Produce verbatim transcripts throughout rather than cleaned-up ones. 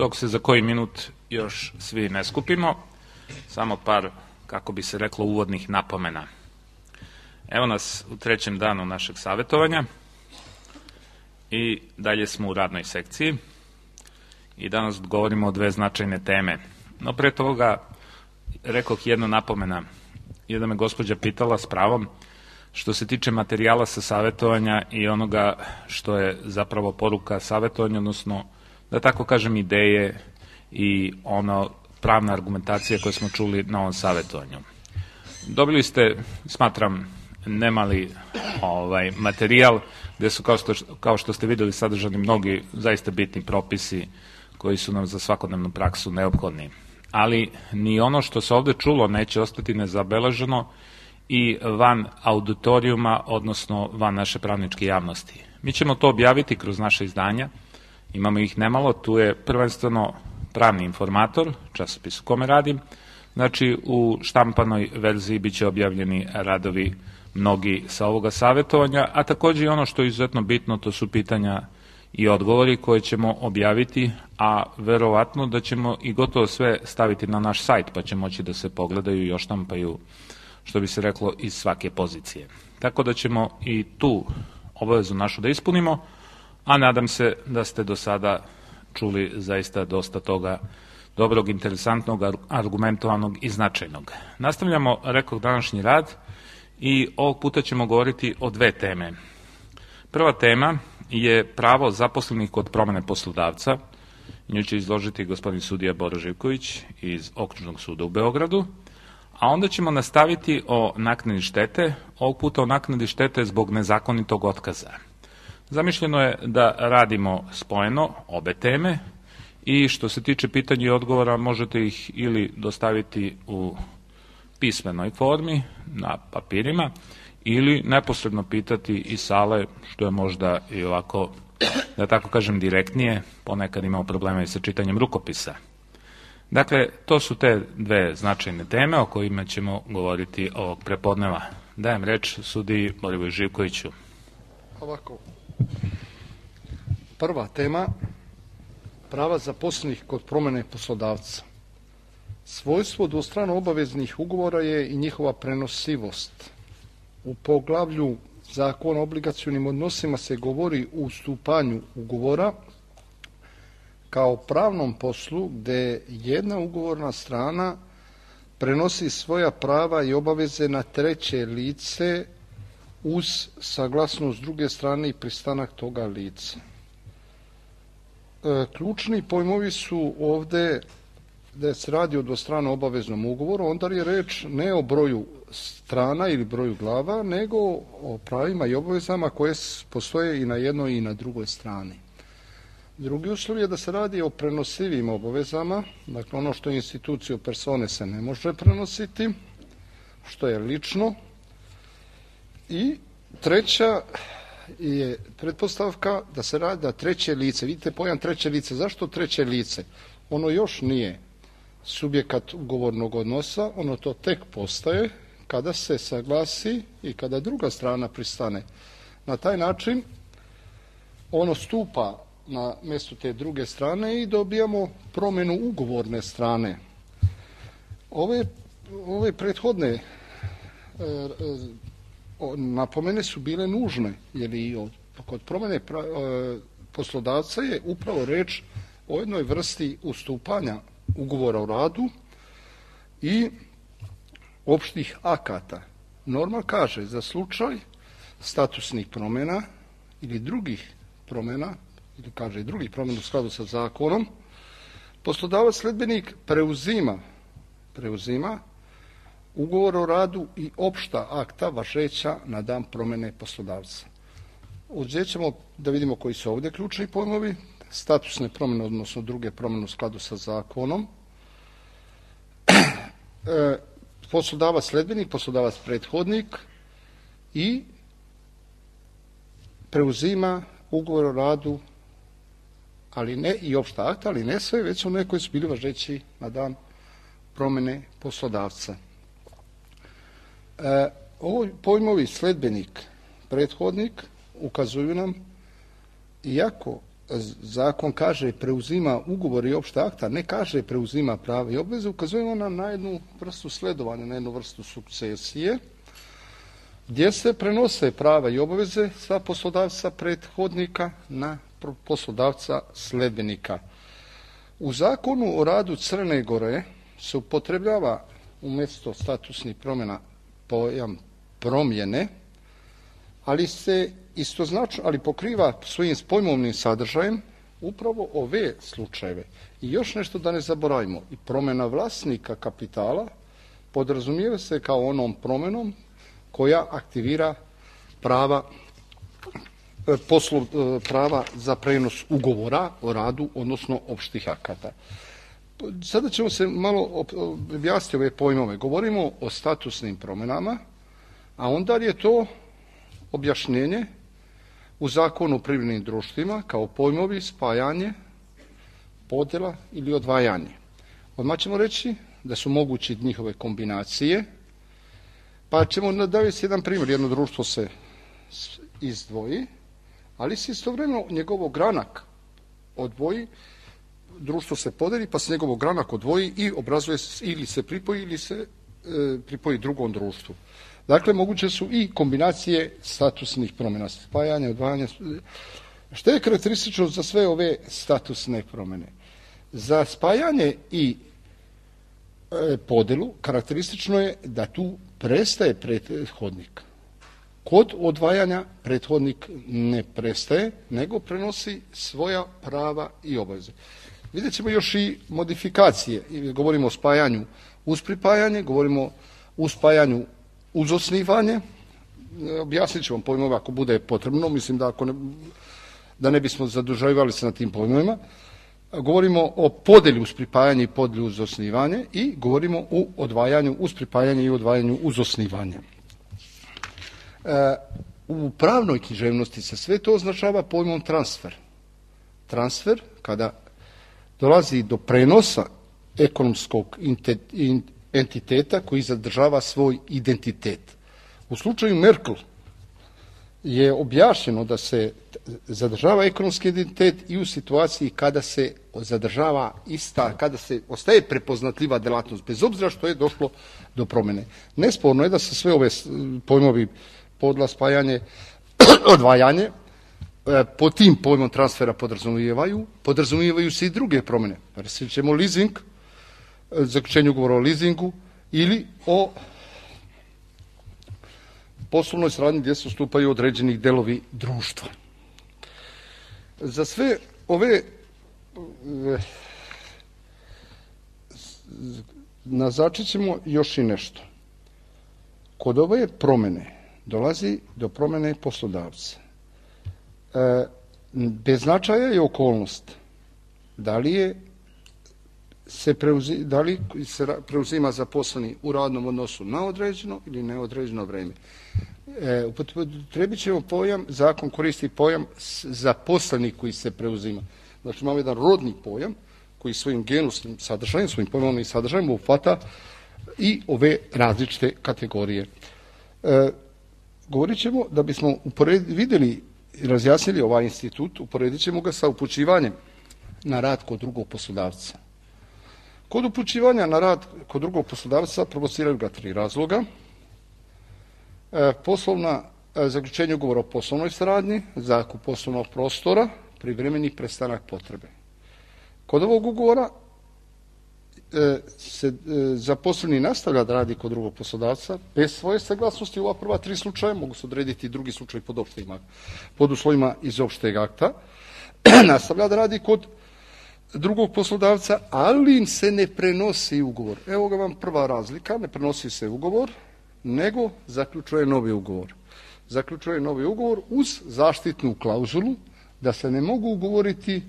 dok se za koji minut još svi ne skupimo, samo par, kako bi se reklo, uvodnih napomena. Evo nas u trećem danu našeg savjetovanja i dalje smo u radnoj sekciji i danas govorimo o dve značajne teme. No pre toga rekoh jedna napomena. Jedna me gospođa pitala s pravom što se tiče materijala sa savjetovanja i onoga što je zapravo poruka savjetovanja, odnosno da tako kažem ideje i ono pravna argumentacija koju smo čuli na ovom savjetovanju. Dobili ste, smatram, nemali ovaj, materijal gde su, kao što, kao što ste videli, sadržani mnogi zaista bitni propisi koji su nam za svakodnevnu praksu neophodni. Ali ni ono što se ovde čulo neće ostati nezabeleženo i van auditorijuma, odnosno van naše pravničke javnosti. Mi ćemo to objaviti kroz naše izdanja, imamo ih nemalo, tu je prvenstveno Pravni informator, časopis u kome radim, znači u štampanoj verziji biće objavljeni radovi mnogi sa ovoga savjetovanja, a takođe i ono što je izuzetno bitno, to su pitanja i odgovori koje ćemo objaviti, a verovatno da ćemo i gotovo sve staviti na naš sajt, pa će moći da se pogledaju i oštampaju, što bi se reklo, iz svake pozicije. Tako da ćemo i tu obavezu našu da ispunimo, a nadam se da ste do sada čuli zaista dosta toga dobrog, interesantnog, argumentovanog i značajnog. Nastavljamo, rekoh, današnji rad i ovog puta ćemo govoriti o dve teme. Prva tema je pravo zaposlenih kod promene poslodavca. Nju će izložiti gospodin sudija Boro Živković iz Okružnog suda u Beogradu, a onda ćemo nastaviti o naknadi štete, ovog puta o naknadi štete zbog nezakonitog otkaza. Zamišljeno je da radimo spojeno obe teme i što se tiče pitanja i odgovora možete ih ili dostaviti u pismenoj formi na papirima ili neposredno pitati iz sale, što je možda i ovako, da tako kažem, direktnije, ponekad imamo problema i sa čitanjem rukopisa. Dakle, to su te dve značajne teme o kojima ćemo govoriti ovog prepodneva. Dajem reč sudiji Borivoju Živkoviću. Ovako, prva tema, prava zaposlenih kod promene poslodavca. Svojstvo dvostrano obaveznih ugovora je i njihova prenosivost. U poglavlju Zakona o obligacionim odnosima se govori o ustupanju ugovora kao pravnom poslu gde jedna ugovorna strana prenosi svoja prava i obaveze na treće lice uz saglasnost druge strane i pristanak toga lica. E, ključni pojmovi su ovde da se radi o dvostrano obaveznom ugovoru, onda je reč ne o broju strana ili broju glava, nego o pravima i obavezama koje postoje i na jednoj i na drugoj strani. Drugi uslov je da se radi o prenosivim obavezama, dakle ono što je institucija persone se ne može prenositi, što je lično. I treća je pretpostavka da se radi da treće lice, vidite pojam treće lice, zašto treće lice? Ono još nije subjekat ugovornog odnosa, ono to tek postaje kada se saglasi i kada druga strana pristane. Na taj način ono stupa na mjesto te druge strane i dobijamo promjenu ugovorne strane. Ove, ove prethodne e, e, napomene su bile nužne, jer i od, kod promjene pra, e, poslodavca je upravo reč o jednoj vrsti ustupanja ugovora o radu i opštih akata. Norma kaže za slučaj statusnih promjena ili drugih promjena, ili kaže i drugih promjena u skladu sa zakonom, poslodavac sledbenik preuzima, preuzima ugovor o radu i opšta akta važeća na dan promjene poslodavca. Uzet ćemo da vidimo koji su ovdje ključni pojmovi, statusne promjene, odnosno druge promjene u skladu sa zakonom, e, poslodavac sledbenik, poslodavac prethodnik i preuzima ugovor o radu, ali ne i opšta akta, ali ne sve, već one koji su bili važeći na dan promjene poslodavca. E, ovo pojmovi sledbenik, prethodnik ukazuju nam, iako zakon kaže preuzima ugovor i opšta akta, ne kaže preuzima prava i obveze, ukazujemo nam na jednu vrstu sledovanja, na jednu vrstu sukcesije, gdje se prenose prava i obaveze sa poslodavca prethodnika na poslodavca sledbenika. U zakonu o radu Crne Gore se upotrebljava umjesto statusnih promjena pojam promjene, ali se istoznačno, ali pokriva svojim pojmovnim sadržajem upravo ove slučajeve. I još nešto da ne zaboravimo, i promjena vlasnika kapitala podrazumijeva se kao onom promjenom koja aktivira prava poslov, prava za prenos ugovora o radu, odnosno opštih akata. Sada ćemo se malo objasniti ove pojmove. Govorimo o statusnim promjenama, a onda je to objašnjenje u zakonu o privrednim društvima kao pojmovi spajanje, podjela ili odvajanje. Odmah ćemo reći da su mogući njihove kombinacije, pa ćemo navesti jedan primjer. Jedno društvo se izdvoji, ali se istovremeno njegov ogranak odvoji, društvo se podeli, pa se njegov ogranak odvoji i obrazuje ili se pripoji ili se e, pripoji drugom društvu. Dakle, moguće su i kombinacije statusnih promjena, spajanja, odvajanja. Što je karakteristično za sve ove statusne promjene? Za spajanje i e, podelu karakteristično je da tu prestaje prethodnik. Kod odvajanja prethodnik ne prestaje, nego prenosi svoja prava i obaveze. Vidjet ćemo još i modifikacije. Govorimo o spajanju uz pripajanje, govorimo o spajanju uz osnivanje. Objasnit ću vam pojmove ako bude potrebno. Mislim da, ako ne, da ne bismo zaduživali se na tim pojmovima. Govorimo o podeli uz pripajanje i podeli uz osnivanje i govorimo o odvajanju uz pripajanje i odvajanju uz osnivanje. U pravnoj književnosti se sve to označava pojmom transfer. Transfer, kada dolazi do prenosa ekonomskog entiteta koji zadržava svoj identitet. U slučaju Merkel je objašnjeno da se zadržava ekonomski identitet i u situaciji kada se zadržava ista, kada se ostaje prepoznatljiva delatnost, bez obzira što je došlo do promjene. Nesporno je da se sve ove pojmovi podla, spajanje, odvajanje, po tim pojmom transfera podrazumijevaju, podrazumijevaju se i druge promjene. Recimo leasing, zaključenje ugovora o leasingu ili o poslovnoj saradnji gdje se ustupaju određeni delovi društva. Za sve ove naznačit ćemo još i nešto. Kod ove promjene dolazi do promjene poslodavca. E, bez značaja je okolnost da li je se preuzima, da li se preuzima zaposleni u radnom odnosu na određeno ili neodređeno vreme. E, upotrebit ćemo pojam, zakon koristi pojam zaposleni koji se preuzima. Znači imamo jedan rodni pojam koji svojim genusnim sadržajem, svojim pojmovnim sadržajem uhvata i ove različite kategorije. E, govorit ćemo da bismo upored, vidjeli i razjasnili ovaj institut, uporedit ćemo ga sa upućivanjem na rad kod drugog poslodavca. Kod upućivanja na rad kod drugog poslodavca provociraju ga tri razloga. E, poslovna, e, zaključenje ugovora o poslovnoj saradnji, zakup poslovnog prostora, privremeni prestanak potrebe. Kod ovog ugovora e, se e, zaposleni nastavlja da radi kod drugog poslodavca bez svoje saglasnosti. Ova prva tri slučaja mogu se odrediti drugi slučaj pod, opštima, pod uslovima iz opšteg akta. Nastavlja da radi kod drugog poslodavca, ali im se ne prenosi ugovor. Evo ga vam prva razlika, ne prenosi se ugovor, nego zaključuje novi ugovor. Zaključuje novi ugovor uz zaštitnu klauzulu da se ne mogu ugovoriti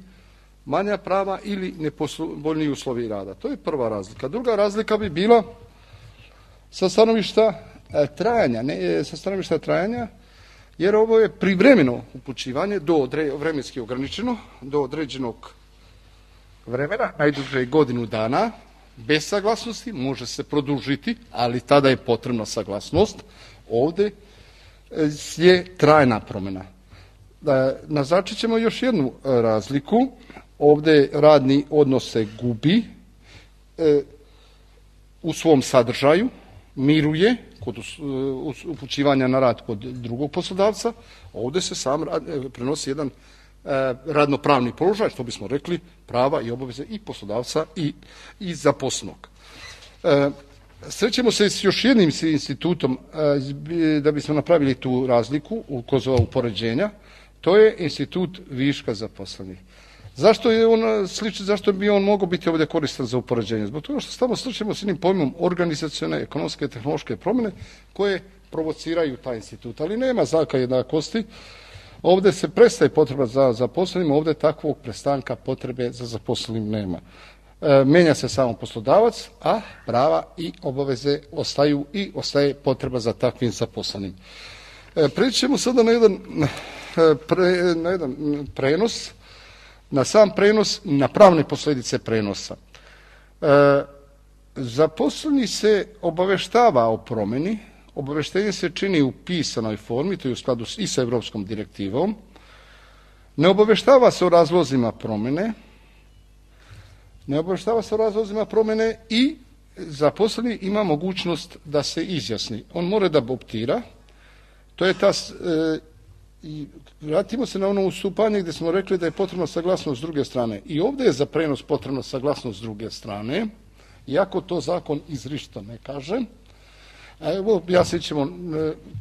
manja prava ili nepovoljniji uslovi rada. To je prva razlika. Druga razlika bi bila sa stanovišta trajanja, ne, sa stanovišta trajanja, jer ovo je privremeno upućivanje do odre, vremenski ograničeno, do određenog vremena, najduže godinu dana, bez saglasnosti, može se produžiti, ali tada je potrebna saglasnost. Ovdje je trajna promjena. naznačit ćemo još jednu razliku. Ovdje radni odnos se gubi e, u svom sadržaju, miruje kod upućivanja na rad kod drugog poslodavca. Ovdje se sam rad, prenosi jedan e, radnopravni položaj, što bismo rekli, prava i obaveze i poslodavca i, i zaposlenog. E, Srećemo se s još jednim institutom e, da bismo napravili tu razliku kroz ova upoređenja. To je institut viška zaposlenih. Zašto je on sličan, zašto bi on mogao biti ovdje koristan za upoređenje? Zbog toga što tamo sličimo s jednim pojmom organizacione, ekonomske i tehnološke promjene koje provociraju taj institut, ali nema znaka jednakosti. Ovdje se prestaje potreba za zaposlenim, ovdje takvog prestanka potrebe za zaposlenim nema. E, menja se samo poslodavac, a prava i obaveze ostaju i ostaje potreba za takvim zaposlenim. E, Preći ćemo sada na jedan, pre, na jedan prenos, na sam prenos, na pravne posljedice prenosa. E, zaposleni se obaveštava o promjeni, obaveštenje se čini u pisanoj formi, to je u skladu i sa Europskom direktivom, ne obaveštava se o razlozima promjene, ne obaveštava se o razlozima promjene i zaposleni ima mogućnost da se izjasni. On mora da optira, to je ta... E, I vratimo se na ono ustupanje gdje smo rekli da je potrebna saglasnost s druge strane. I ovdje je za prenos potrebna saglasnost s druge strane, iako to zakon izričito ne kaže. A evo, ja se ćemo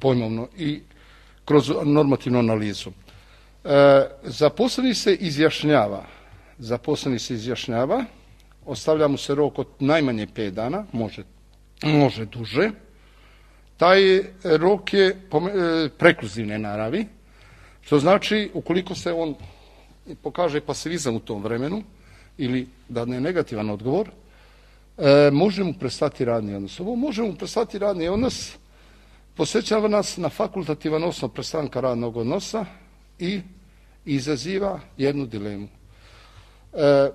pojmovno i kroz normativnu analizu. E, zaposleni se izjašnjava, zaposleni se izjašnjava, ostavlja mu se rok od najmanje pet dana, može, može duže. Taj rok je prekluzivne naravi, što znači, ukoliko se on pokaže pasivizam u tom vremenu ili da ne negativan odgovor, e, može mu prestati radni odnos. Ovo može mu prestati radni odnos, posjećava nas na fakultativan osnov prestanka radnog odnosa i izaziva jednu dilemu. E,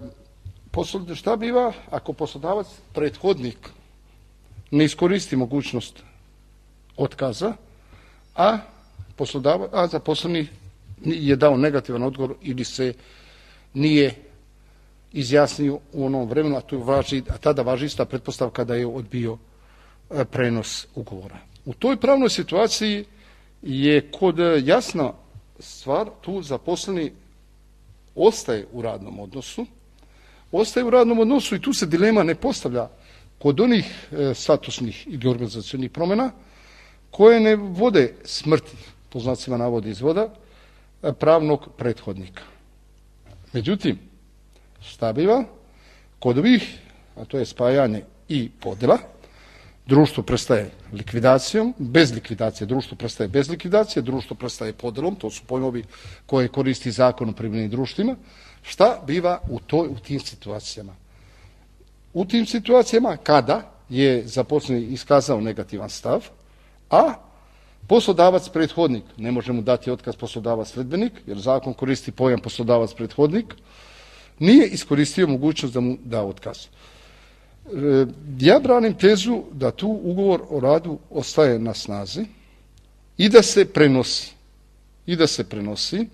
poslod, šta biva ako poslodavac, prethodnik, ne iskoristi mogućnost otkaza, a poslodavac, a zaposleni je dao negativan odgovor ili se nije izjasnio u onom vremenu, a, tu važi, a tada važi ista pretpostavka da je odbio prenos ugovora. U toj pravnoj situaciji je kod jasna stvar, tu zaposleni ostaje u radnom odnosu, ostaje u radnom odnosu i tu se dilema ne postavlja kod onih statusnih ili organizacionih promjena koje ne vode smrti, po znacima navodi izvoda, pravnog prethodnika. Međutim, šta biva? Kod ovih, a to je spajanje i podjela, društvo prestaje likvidacijom, bez likvidacije, društvo prestaje bez likvidacije, društvo prestaje podjelom, to su pojmovi koje koristi zakon o privrednim društvima. Šta biva u, toj, u tim situacijama? U tim situacijama kada je zaposleni iskazao negativan stav, a poslodavac prethodnik, ne može mu dati otkaz poslodavac sledbenik, jer zakon koristi pojam poslodavac prethodnik, nije iskoristio mogućnost da mu da otkaz. E, ja branim tezu da tu ugovor o radu ostaje na snazi i da se prenosi, i da se prenosi,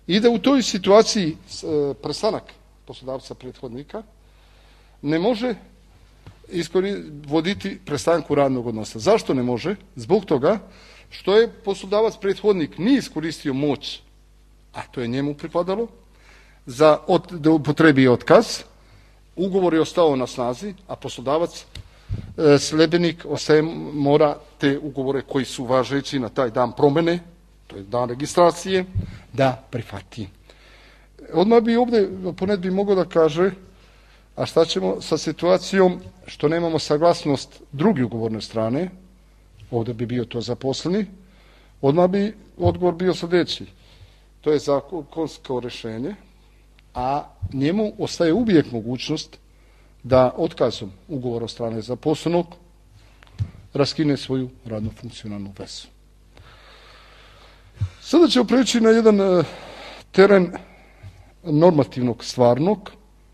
i da u toj situaciji e, prestanak poslodavca prethodnika ne može voditi prestanku radnog odnosa. Zašto ne može? Zbog toga što je poslodavac prethodnik nije iskoristio moć, a to je njemu pripadalo, za od, da upotrebi otkaz, ugovor je ostao na snazi, a poslodavac e, sljedbenik ostaje, mora te ugovore koji su važeći na taj dan promjene, to je dan registracije, da prihvati. Odmah bi ovdje poned bi mogao da kaže, a šta ćemo sa situacijom što nemamo saglasnost druge ugovorne strane, ovdje bi bio to zaposleni, odmah bi odgovor bio sljedeći. To je zakonsko rješenje, a njemu ostaje uvijek mogućnost da otkazom ugovora od strane zaposlenog raskine svoju radno funkcionalnu vezu. Sada ćemo preći na jedan teren normativnog stvarnog,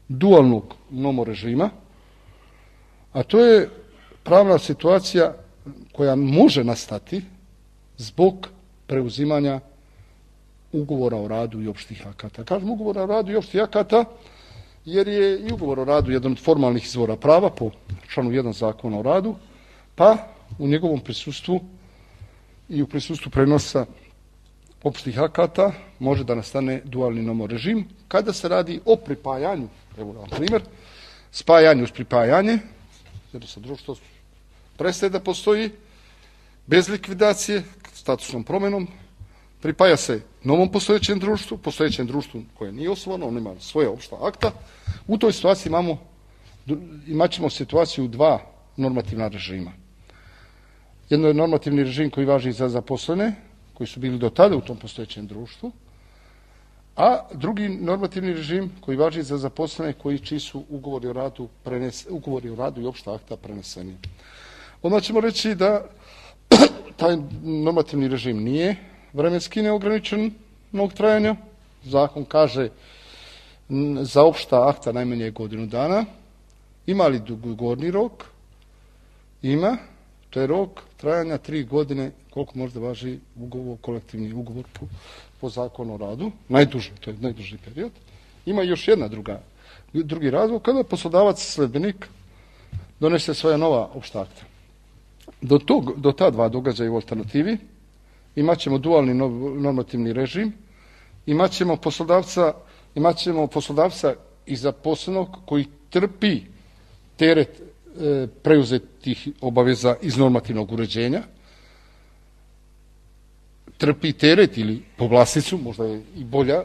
dualnog nomorežima, a to je pravna situacija koja može nastati zbog preuzimanja ugovora o radu i opštih akata. Kažem ugovora o radu i opštih akata jer je i ugovor o radu jedan od formalnih izvora prava po članu jedan Zakona o radu, pa u njegovom prisustvu i u prisustvu prenosa opštih akata može da nastane dualni nomorežim kada se radi o pripajanju, evo na primjer, spajanju uz pripajanje, jer se društvo prestaje da postoji bez likvidacije, statusnom promenom, pripaja se novom postojećem društvu, postojećem društvu koje nije osnovano, ono ima svoje opšta akta. U toj situaciji imamo, imat ćemo situaciju dva normativna režima. Jedno je normativni režim koji važi za zaposlene, koji su bili do tada u tom postojećem društvu, a drugi normativni režim koji važi za zaposlene koji čiji su ugovori o radu, prenes, ugovori o radu i opšta akta preneseni. Onda ćemo reći da taj normativni režim nije vremenski neograničenog trajanja. Zakon kaže za opšta akta najmanje godinu dana. Ima li dugogorni rok? Ima. To je rok trajanja tri godine, koliko možda važi ugovor, kolektivni ugovor po, po zakonu o radu. Najduže, to je najduži period. Ima još jedna druga, drugi razlog, kada poslodavac sledbenik donese svoja nova opšta akta. Do, tog, do ta dva događaja u alternativi imat ćemo dualni normativni režim, imat ćemo poslodavca, imat ćemo poslodavca i zaposlenog koji trpi teret e, preuzetih obaveza iz normativnog uređenja, trpi teret ili povlasticu, možda je i bolja,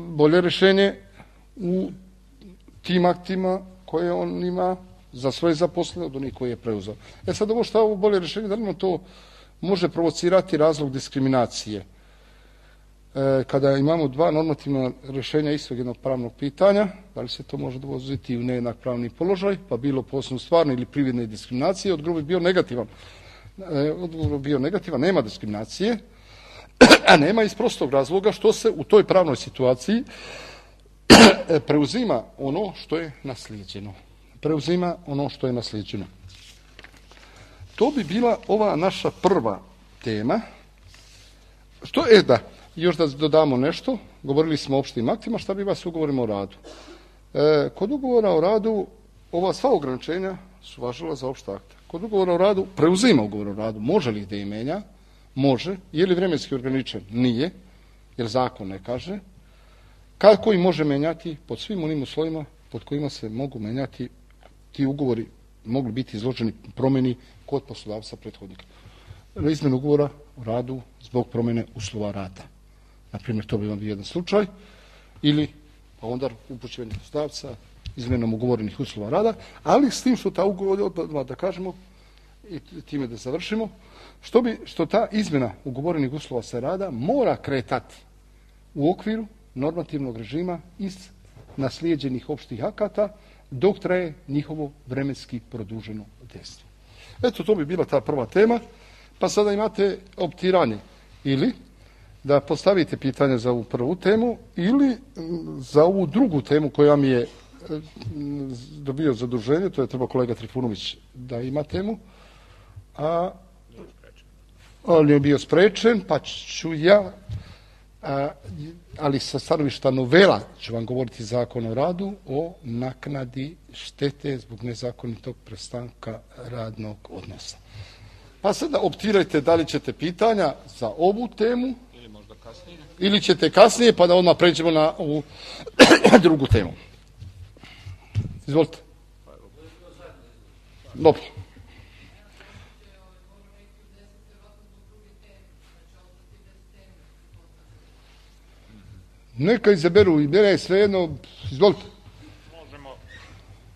bolje rješenje u tim aktima koje on ima za svoje zaposlene od onih koje je preuzeo. E sad ovo što je ovo bolje rješenje, da li nam to može provocirati razlog diskriminacije? E, kada imamo dva normativna rješenja istog jednog pravnog pitanja, da li se to može dovoziti u nejednak pravni položaj, pa bilo po osnovu stvarne ili prividne diskriminacije, odgovor bi bio negativan. E, odgovor bi bio negativan, nema diskriminacije, a nema iz prostog razloga što se u toj pravnoj situaciji preuzima ono što je naslijeđeno. Preuzima ono što je naslijeđeno. To bi bila ova naša prva tema. Što je da, još da dodamo nešto, govorili smo o opštim aktima, šta bi vas ugovorima o radu. E, kod ugovora o radu, ova sva ograničenja su važila za opšta akta. Kod ugovora o radu, preuzima ugovor o radu, može li da je menja? Može. Je li vremenski ograničen? Nije, jer zakon ne kaže. Kako i može menjati? Pod svim onim uslovima pod kojima se mogu menjati ti ugovori, mogli biti izloženi promjeni kod poslodavca prethodnika. Izmjena ugovora o radu zbog promjene uslova rada. Naprimjer, to bi vam bio jedan slučaj, ili pa onda upućivanje poslodavca izmjenom ugovorenih uslova rada, ali s tim što ta ugovor, da kažemo, i time da završimo, što, bi, što ta izmjena ugovorenih uslova sa rada mora kretati u okviru normativnog režima iz naslijeđenih opštih akata dok traje njihovo vremenski produženo dejstvo. Eto, to bi bila ta prva tema, pa sada imate optiranje ili da postavite pitanje za ovu prvu temu ili za ovu drugu temu koja mi je dobio zaduženje, to je treba kolega Trifunović da ima temu, a on je bio sprečen, pa ću ja, a, ali sa stanovišta novela ću vam govoriti Zakon o radu o naknadi štete zbog nezakonitog prestanka radnog odnosa. Pa sada optirajte da li ćete pitanja za ovu temu ili možda kasnije, ili ćete kasnije, pa da odmah pređemo na ovu drugu temu. Izvolite. Dobro. Neka izaberu i mene je svejedno. Izvolite. Možemo,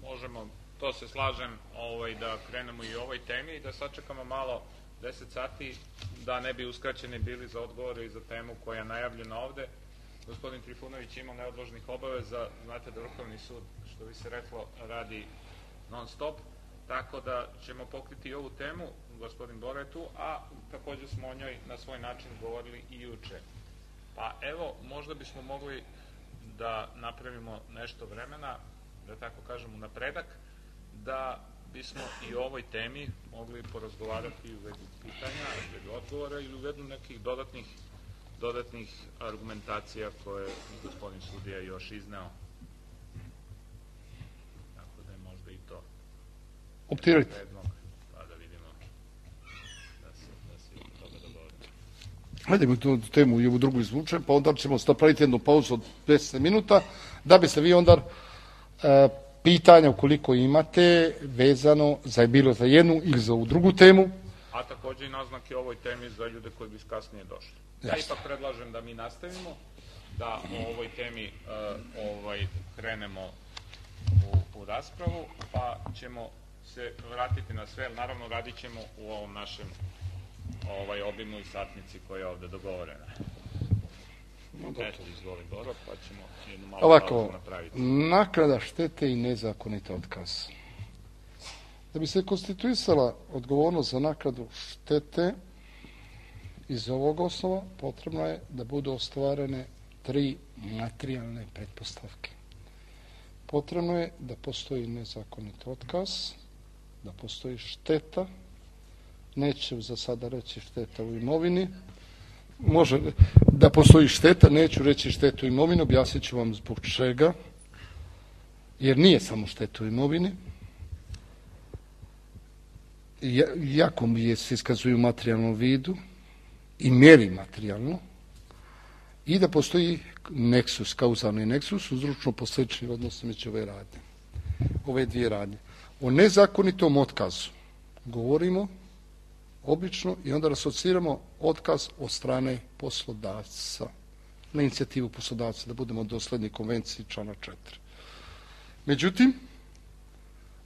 možemo, to se slažem, ovaj, da krenemo i o ovoj temi i da sačekamo malo deset sati da ne bi uskraćeni bili za odgovore i za temu koja je najavljena ovde. Gospodin Trifunović ima neodložnih obaveza, znate da Vrhovni sud, što bi se reklo, radi non stop, tako da ćemo pokriti i ovu temu, gospodin Boretu, a također smo o njoj na svoj način govorili i juče. Pa evo, možda bismo mogli da napravimo nešto vremena, da tako kažem, u napredak, da bismo i o ovoj temi mogli porazgovarati u vezi pitanja, u vezi odgovora ili u vezi nekih dodatnih dodatnih argumentacija koje je gospodin sudija još izneo. Tako da je možda i to optirajte. Pa da vidimo da se, da se od toga dogovorimo. Hajdemo tu temu i ovu drugu izvučem, pa onda ćemo napraviti jednu pauzu od deset minuta, da biste vi onda e, pitanja ukoliko imate vezano za bilo za jednu ili za ovu drugu temu. A takođe i naznake o ovoj temi za ljude koji bi kasnije došli. Ja Jasne. ipak predlažem da mi nastavimo, da o ovoj temi uh, ovaj, krenemo u, u raspravu, pa ćemo se vratiti na sve, naravno radit ćemo u ovom našem ovaj, obimu i satnici koja je ovde dogovorena. No, Eto, izvoli Boro, pa ćemo jednu malu Ovako, pauzu napraviti. naknada štete i nezakonit otkaz. Da bi se konstituisala odgovornost za naknadu štete iz ovog osnova, potrebno je da budu ostvarene tri materijalne pretpostavke. Potrebno je da postoji nezakonit otkaz, da postoji šteta, neću za sada reći šteta u imovini, može da postoji šteta, neću reći štetu u imovini, objasnit ću vam zbog čega, jer nije samo šteta u imovini, jako mi je se iskazuju u materijalnom vidu i mjeri materijalno, i da postoji neksus, kauzalni neksus, uzročno posljedični odnos među ove radnje, ove dvije radnje. O nezakonitom otkazu govorimo obično i onda asociramo otkaz od strane poslodavca, na inicijativu poslodavca, da budemo dosledni konvenciji člana četiri. Međutim,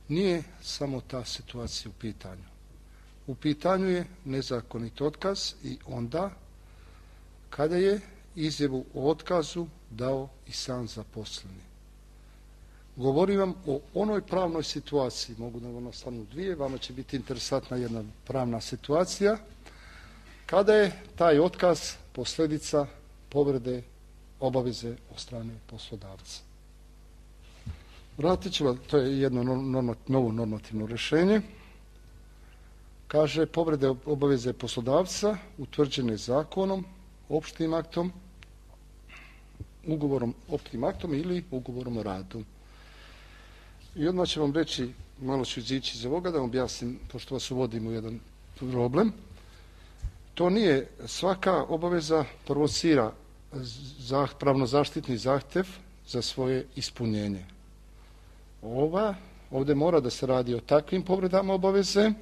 nije samo ta situacija u pitanju. U pitanju je nezakonit otkaz i onda kada je izjavu o otkazu dao i sam zaposleni. Govorim vam o onoj pravnoj situaciji, mogu da vam ostanu dvije, vama će biti interesantna jedna pravna situacija, kada je taj otkaz posljedica povrede obaveze od strane poslodavca. Vratit ću vam, to je jedno norma, novo normativno rješenje. Kaže, povrede obaveze poslodavca utvrđene zakonom, opštim aktom, ugovorom opštim aktom ili ugovorom o radu. I odmah ću vam reći, malo ću izići iz ovoga, da vam objasnim, pošto vas uvodim u jedan problem. To nije, svaka obaveza provocira pravno zaštitni zahtjev za svoje ispunjenje. Ova, ovdje mora da se radi o takvim povredama obaveze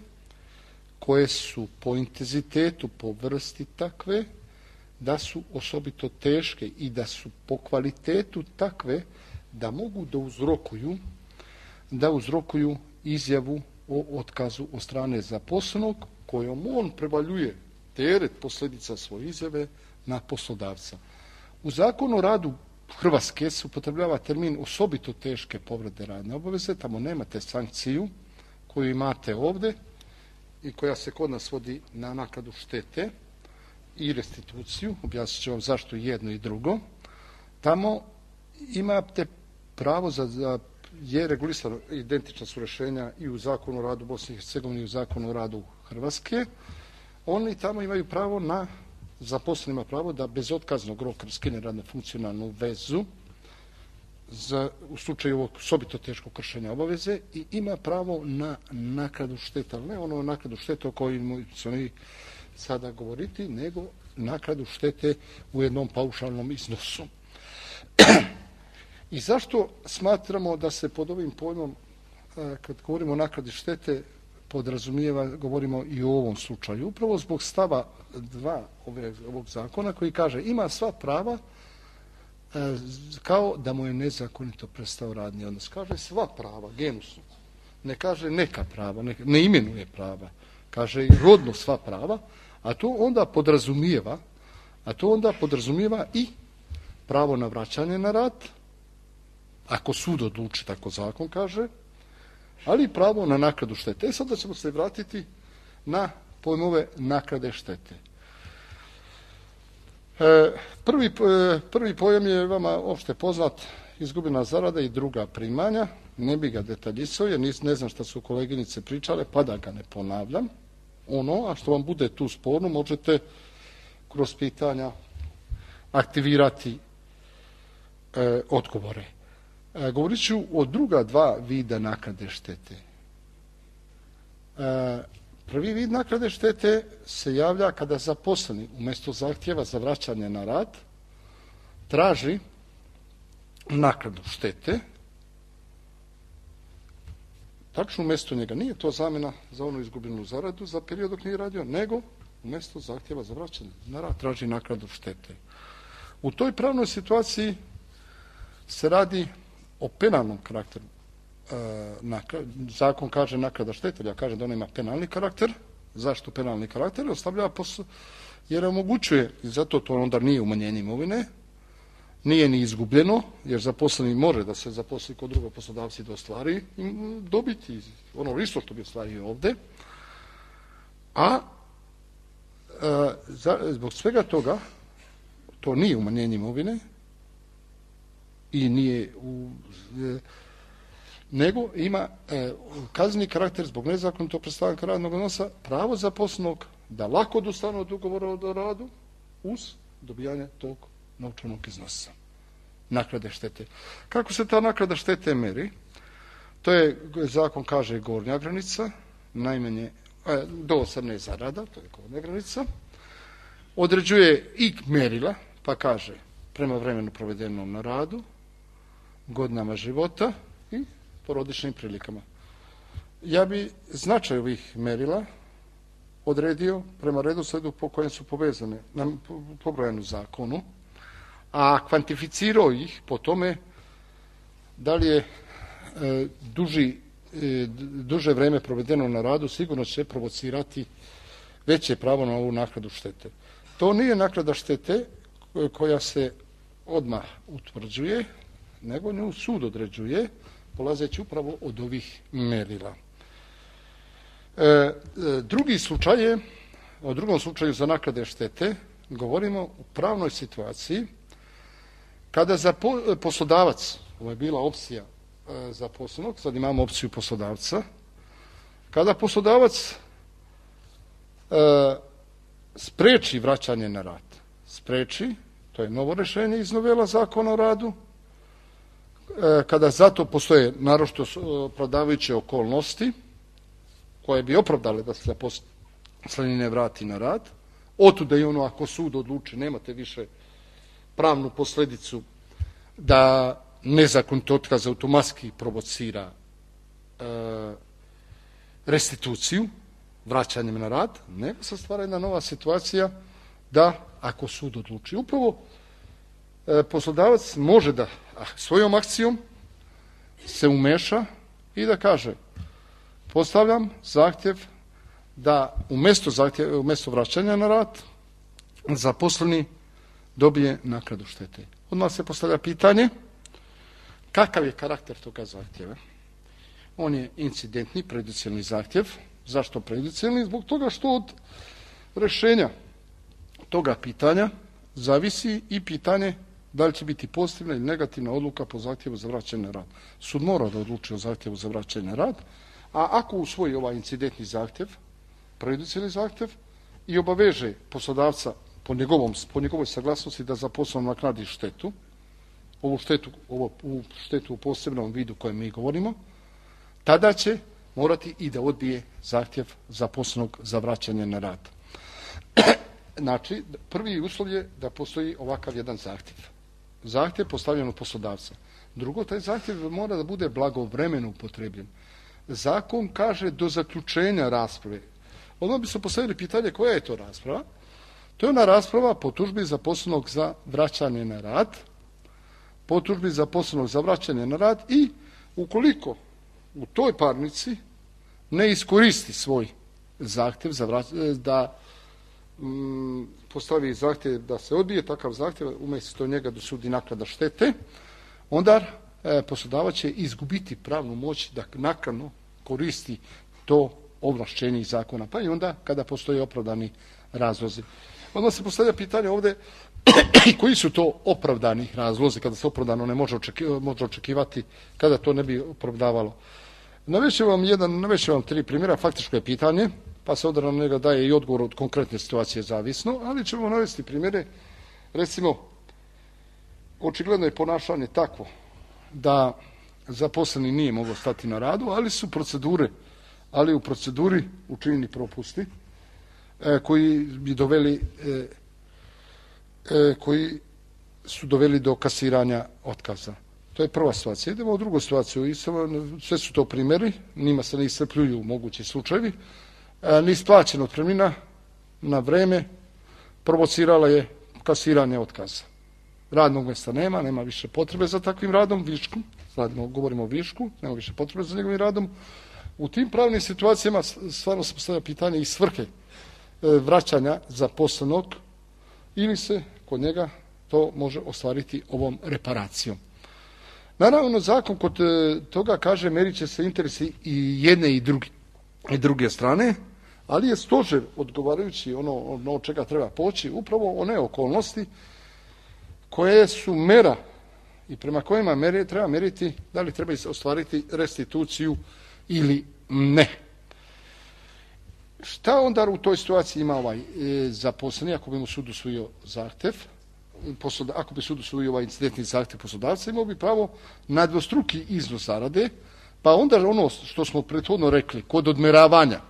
koje su po intenzitetu, po vrsti takve, da su osobito teške i da su po kvalitetu takve da mogu da uzrokuju da uzrokuju izjavu o otkazu od strane zaposlenog kojom on prevaljuje teret posljedica svoje izjave na poslodavca. U zakonu o radu Hrvatske se upotrebljava termin osobito teške povrede radne obaveze, tamo nemate sankciju koju imate ovdje i koja se kod nas vodi na naknadu štete i restituciju, objasnit ću vam zašto jedno i drugo. Tamo imate pravo za, za je regulisano, identična su rješenja i u zakonu o radu Bosne i Hercegovine i u zakonu o radu Hrvatske. Oni tamo imaju pravo na, zaposleni ima pravo da bez otkaznog roka raskine radno funkcionalnu vezu za, u slučaju ovog osobito teškog kršenja obaveze i ima pravo na naknadu šteta, ali ne ono naknadu štete o kojoj ćemo mi sada govoriti, nego naknadu štete u jednom paušalnom iznosu. I zašto smatramo da se pod ovim pojmom, kad govorimo o naknadi štete, podrazumijeva, govorimo i u ovom slučaju. Upravo zbog stava dva ove, ovog zakona koji kaže ima sva prava kao da mu je nezakonito prestao radni odnos. Kaže sva prava, genusno. Ne kaže neka prava, ne, ne imenuje prava. Kaže i rodno sva prava, a to onda podrazumijeva, a to onda podrazumijeva i pravo na vraćanje na rad, ako sud odluči, tako zakon kaže, ali i pravo na naknadu štete. E sada ćemo se vratiti na pojmove naknade štete. E, prvi, e, prvi pojam je vama opšte poznat, izgubljena zarada i druga primanja. Ne bi ga detaljisao, jer ne znam šta su koleginice pričale, pa da ga ne ponavljam. Ono, a što vam bude tu sporno, možete kroz pitanja aktivirati e, odgovore. E, govorit ću o druga dva vida naknade štete. E, prvi vid naknade štete se javlja kada zaposleni umjesto zahtjeva za vraćanje na rad traži naknadu štete. Tačno umjesto njega. Nije to zamjena za onu izgubljenu zaradu za period dok nije radio, nego umjesto zahtjeva za vraćanje na rad traži naknadu štete. U toj pravnoj situaciji se radi o penalnom karakteru. E, zakon kaže naknada štete, ja kažem da ona ima penalni karakter. Zašto penalni karakter? Ostavlja posao, jer omogućuje, i zato to onda nije umanjenje imovine, nije ni izgubljeno, jer zaposleni može da se zaposli kod drugog poslodavca i da ostvari dobiti ono isto što bi ostvario ovde. A e, za, zbog svega toga, to nije umanjenje imovine i nije u, e, nego ima e, kazneni karakter zbog nezakonitog prestanka radnog odnosa, pravo zaposlenog da lako odustane od ugovora o radu uz dobijanje tog novčanog iznosa, naknade štete. Kako se ta naknada štete meri? To je, zakon kaže, gornja granica, najmanje e, do osamnaest zarada, to je gornja granica. Određuje i merila, pa kaže prema vremenu provedenom na radu, godinama života i porodičnim prilikama. Ja bi značaj ovih merila odredio prema redosledu po kojem su povezane, pobrojane u zakonu, a kvantificirao ih po tome da li je e, duži, e, duže vreme provedeno na radu, sigurno će provocirati veće pravo na ovu naknadu štete. To nije naknada štete koja se odmah utvrđuje, nego nju sud određuje, polazeći upravo od ovih merila. E, drugi slučaj je, o drugom slučaju za naknade štete, govorimo u pravnoj situaciji kada za poslodavac, ovo je bila opcija e, zaposlenog, sad imamo opciju poslodavca, kada poslodavac e, spreči vraćanje na rad, spreči, to je novo rješenje iz novela Zakona o radu, e, kada zato postoje naročito opravdavajuće okolnosti koje bi opravdale da se zaposleni ne vrati na rad, otuda i ono ako sud odluči, nemate više pravnu posledicu da nezakonit otkaz automatski provocira e, restituciju, vraćanjem na rad, nego se stvara jedna nova situacija da ako sud odluči. Upravo e, poslodavac može da svojom akcijom se umeša i da kaže postavljam zahtjev da umjesto, zahtjev, umjesto vraćanja na rad zaposleni dobije naknadu štete. Odmah se postavlja pitanje kakav je karakter toga zahtjeva. On je incidentni, prejudicijalni zahtjev. Zašto prejudicijalni? Zbog toga što od rješenja toga pitanja zavisi i pitanje da li će biti pozitivna ili negativna odluka po zahtjevu za vraćanje na rad. Sud mora da odluči o zahtjevu za vraćanje na rad, a ako usvoji ovaj incidentni zahtjev, prejudicijalni zahtjev, i obaveže poslodavca po, njegovom, po njegovoj saglasnosti da zaposlenom naknadi štetu, ovu štetu, ovu štetu u posebnom vidu kojem mi govorimo, tada će morati i da odbije zahtjev zaposlenog za vraćanje na rad. Znači, prvi uslov je da postoji ovakav jedan zahtjev. Zahtjev postavljen od poslodavca. Drugo, taj zahtjev mora da bude blagovremeno upotrebljen. Zakon kaže do zaključenja rasprave. Odmah bi se postavili pitanje koja je to rasprava. To je ona rasprava po tužbi zaposlenog za vraćanje na rad, po tužbi zaposlenog za vraćanje na rad i ukoliko u toj parnici ne iskoristi svoj zahtjev za vraćanje, da mm, postavi zahtjev da se odbije takav zahtjev, umjesto njega dosudi naknada štete, onda e, poslodavac će izgubiti pravnu moć da naknadno koristi to ovlašćenje iz zakona, pa i onda kada postoje opravdani razlozi. Onda se postavlja pitanje ovdje koji su to opravdani razlozi, kada se opravdano ne može, očeki, može očekivati, kada to ne bi opravdavalo. Navećem vam jedan, navećem vam tri primjera, faktičko je pitanje, pa se odredno njega daje i odgovor od konkretne situacije zavisno, ali ćemo navesti primjere, recimo očigledno je ponašanje takvo da zaposleni nije mogao stati na radu, ali su procedure, ali u proceduri učinjeni propusti e, koji bi doveli e, e, koji su doveli do kasiranja otkaza. To je prva situacija. Idemo u drugu situaciju. Sve su to primjeri, njima se ne iscrpljuju mogući slučajevi. E, Neisplaćena otpremnina na vreme provocirala je kasiranje otkaza. Radnog mjesta nema, nema više potrebe za takvim radom, višku, radimo, govorimo o višku, nema više potrebe za njegovim radom. U tim pravnim situacijama stvarno se postavlja pitanje i svrhe vraćanja zaposlenog ili se kod njega to može ostvariti ovom reparacijom. Naravno, zakon kod toga kaže merit će se interesi i jedne i druge, i druge strane, ali je stožer odgovarajući ono, ono od čega treba poći, upravo one okolnosti koje su mera i prema kojima mere treba meriti da li treba ostvariti restituciju ili ne. Šta onda u toj situaciji ima ovaj e, zaposleni ako bi mu sud usvojio zahtev, posloda, ako bi sud usvojio ovaj incidentni zahtev poslodavca, imao bi pravo na dvostruki iznos zarade, pa onda ono što smo prethodno rekli, kod odmeravanja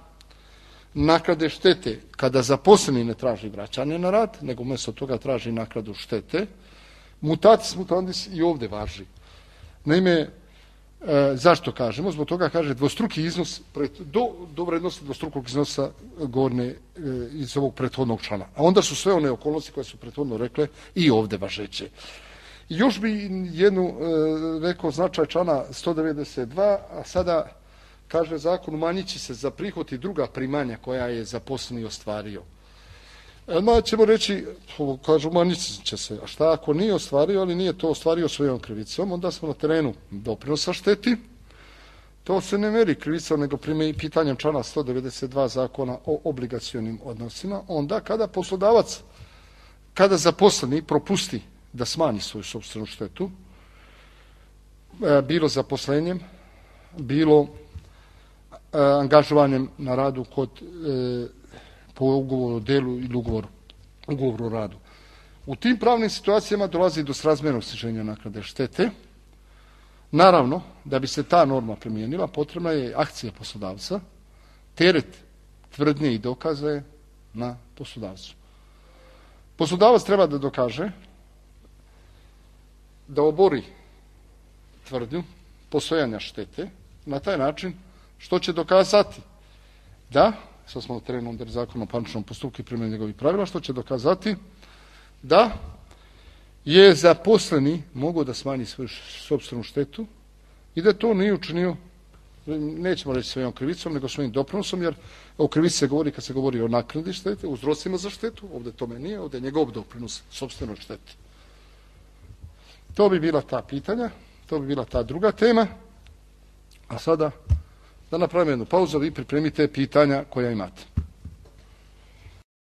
naknade štete, kada zaposleni ne traži vraćanje na rad, nego umjesto toga traži naknadu štete, mutatis mutandis i ovdje važi. Naime, e, zašto kažemo? Zbog toga kaže dvostruki iznos pred, do, do vrednosti dvostrukog iznosa gornje e, iz ovog prethodnog člana. A onda su sve one okolnosti koje su prethodno rekle i ovdje važeće. I još bi jednu e, rekao značaj člana sto devedeset dva, a sada kaže zakon umanjit će se za prihod i druga primanja koja je zaposleni ostvario. Ma ćemo reći, kažu, umanjit će se, a šta ako nije ostvario, ali nije to ostvario svojom krivicom, onda smo na terenu doprinosa šteti. To se ne meri krivicom, nego prime pitanjem člana sto devedeset dva zakona o obligacionim odnosima, onda kada poslodavac, kada zaposleni propusti da smanji svoju sopstvenu štetu, bilo zaposlenjem, bilo angažovanjem na radu kod po ugovoru o delu ili ugovoru, ugovoru o radu. U tim pravnim situacijama dolazi do srazmjernog sniženja naknade štete. Naravno, da bi se ta norma primijenila, potrebna je akcija poslodavca, teret tvrdnje i dokaze na poslodavcu. Poslodavac treba da dokaže da obori tvrdnju postojanja štete na taj način što će dokazati da, sad smo na terenu under zakona o parničnom postupku i primjeni njegovih pravila, što će dokazati da je zaposleni mogao da smanji svoju sopstvenu štetu i da to nije učinio, nećemo reći svojom krivicom, nego svojim doprinosom, jer o krivici se govori kad se govori o naknadi štete, uzrocima za štetu, ovdje tome nije, ovdje je njegov doprinos sopstvenoj šteti. To bi bila ta pitanja, to bi bila ta druga tema, a sada da napravimo jednu pauzu, vi pripremite pitanja koja imate.